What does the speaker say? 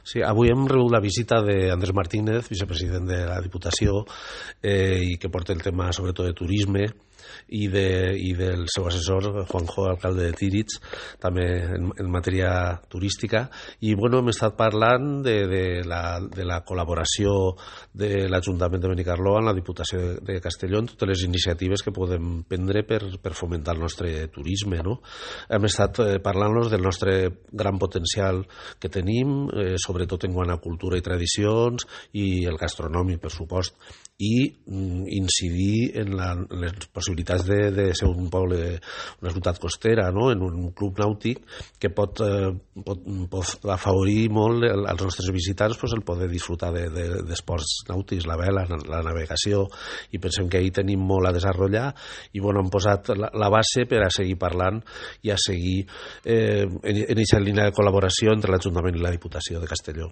Sí, avui hem rebut la visita d'Andrés Martínez, vicepresident de la Diputació, i que porta el tema sobretot de turisme, i del seu assessor, Juanjo, alcalde de Tíritz, també en matèria turística. I bueno, hem estat parlant de la col·laboració de l'Ajuntament de Benicarló amb la Diputació de Castelló en totes les iniciatives que podem prendre per fomentar el nostre turisme, no? Hem estat parlant-los del nostre gran potencial que tenim, sobretot en quant a cultura i tradicions, i el gastronòmic, per supost, i incidir en les possibilitats de ser un poble, una ciutat costera, no? En un club nàutic que pot afavorir molt als nostres visitants el poder disfrutar d'esports nàutics, la vela, la navegació, i pensem que ahir tenim molt a desenvolupar i bueno, hem posat la base per a seguir parlant i a seguir en aquesta línia de col·laboració entre l'Ajuntament i la Diputació de Castelló.